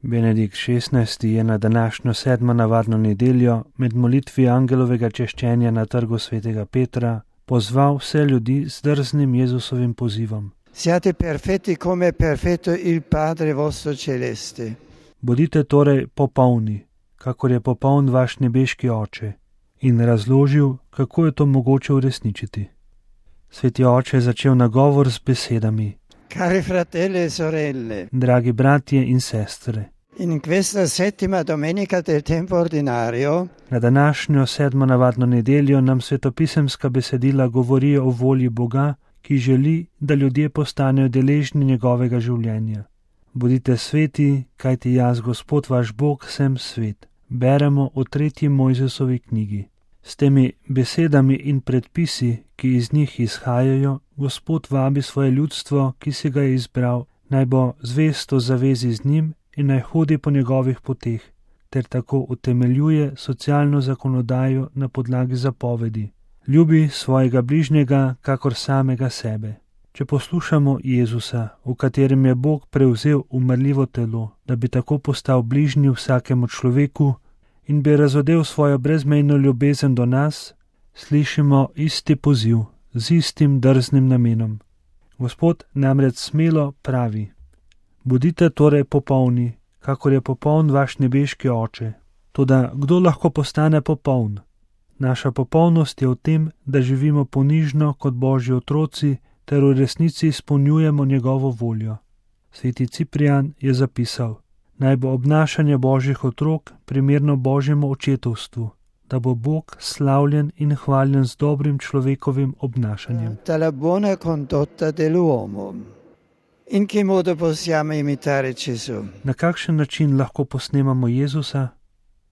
Benedikt XVI. Je na današnjo 7. navadno nedeljo med molitvi angelovega češčenja na trgu svetega Petra pozval vse ljudi z drznim Jezusovim pozivom. Siate perfetti come è perfetto il Padre vostro celeste. Bodite torej popolni, kakor je popoln vaš nebeški Oče, in razložil, kako je to mogoče uresničiti. Sveti Oče je začel nagovor z besedami: Cari fratelli e sorelle, dragi bratje in sestre, in questa settima domenica del tempo ordinario na današnjo 7. navadno nedeljo nam svetopisemska besedila govorijo o volji Boga, ki želi, da ljudje postanejo deležni njegovega življenja. Bodite sveti, kajti jaz, Gospod vaš Bog, sem svet. Beremo v 3. Mojzesovi knjigi. S temi besedami in predpisi, ki iz njih izhajajo, Gospod vabi svoje ljudstvo, ki si ga je izbral, naj bo zvesto zavezi z njim in naj hodi po njegovih poteh, ter tako utemeljuje socialno zakonodajo na podlagi zapovedi. Ljubi svojega bližnjega kakor samega sebe. Če poslušamo Jezusa, v katerem je Bog prevzel umrljivo telo, da bi tako postal bližnji vsakemu človeku in bi razodel svojo brezmejno ljubezen do nas, slišimo isti poziv z istim drznim namenom. Gospod namreč smelo pravi: bodite torej popolni, kakor je popoln vaš nebeški Oče. Toda kdo lahko postane popoln? Naša popolnost je v tem, da živimo ponižno kot Božji otroci ter v resnici izpolnjujemo njegovo voljo. Sveti Ciprijan je zapisal: naj bo obnašanje Božjih otrok primerno Božjemu očetovstvu, da bo Bog slavljen in hvaljen z dobrim človekovim obnašanjem. dalla buona condotta dell'uomo. In che modo possiamo imitare Gesù? Na kakšen način lahko posnemamo Jezusa?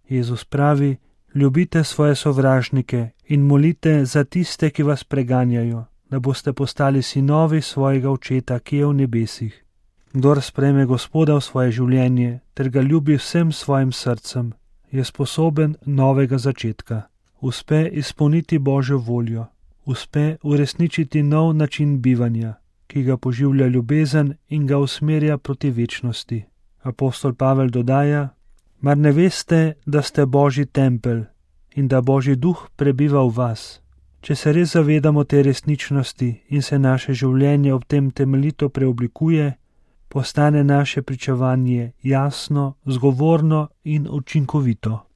Jezus pravi: ljubite svoje sovražnike in molite za tiste, ki vas preganjajo, da boste postali sinovi svojega Očeta, ki je v nebesih. Kdor sprejme Gospoda v svoje življenje ter ga ljubi vsem svojim srcem, je sposoben novega začetka. Uspe izpolniti Božjo voljo, uspe uresničiti nov način bivanja, ki ga poživlja ljubezen in ga usmerja proti večnosti. Apostol Pavel dodaja: mar ne veste, da ste Božji tempelj in da Božji duh prebiva v vas? Če se res zavedamo te resničnosti in se naše življenje ob tem temeljito preoblikuje, postane naše pričevanje jasno, zgovorno in učinkovito.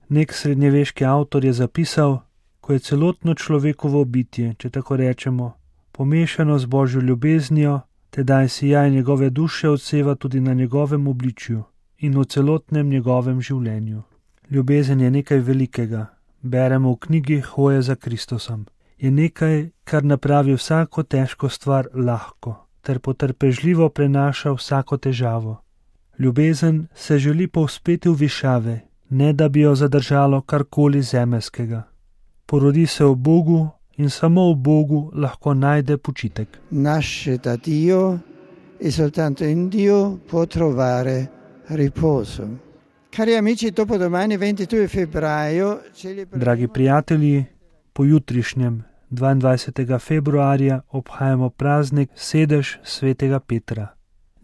Nek srednjeveški avtor je zapisal: ko je celotno človekovo bitje, če tako rečemo, pomešano z Božjo ljubeznijo, tedaj sijaj njegove duše odseva tudi na njegovem obličju in v celotnem njegovem življenju. Ljubezen je nekaj velikega, beremo v knjigi Hoje za Kristusom. Je nekaj, kar napravi vsako težko stvar lahko, ter potrpežljivo prenaša vsako težavo. Ljubezen se želi povzpeti v višave, ne da bi jo zadržalo karkoli zemeljskega. Porodi se v Bogu in samo v Bogu lahko najde počitek. Nasce da Dio e soltanto in Dio può trovare riposo. Cari amici, dopodomani 22 febbraio Dragi prijatelji, pojutrišnjem 22. februarja obhajamo praznik sedež svetega Petra.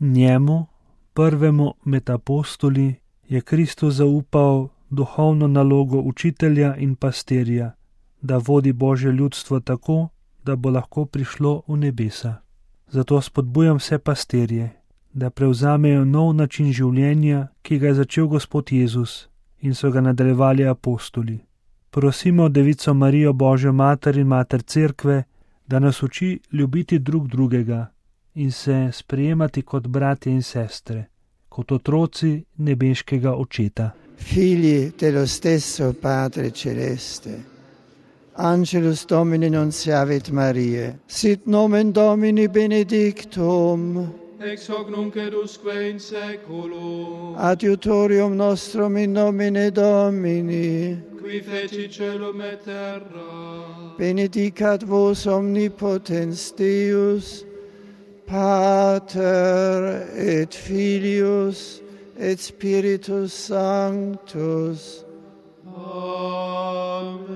Njemu, prvemu med apostoli, je Kristus zaupal duhovno nalogo učitelja in pastirja, da vodi Božje ljudstvo tako, da bo lahko prišlo v nebesa. Zato spodbujam vse pastirje, da prevzamejo nov način življenja, ki ga je začel Gospod Jezus in so ga nadaljevali apostoli. Prosimo Devico Marijo, Božjo mater in mater Cerkve, da nas uči ljubiti drug drugega in se sprejemati kot bratje in sestre, kot otroci nebeškega Očeta. figli dello stesso Padre Celeste. Angelus Domini nunciavit Mariae, sit nomen Domini benedictum, ex hoc nunc et usque in saeculum, adiutorium nostrum in nomine Domini, qui feci celum et terra, benedicat vos omnipotens Deus, Pater et Filius et Spiritus Sanctus. Amen.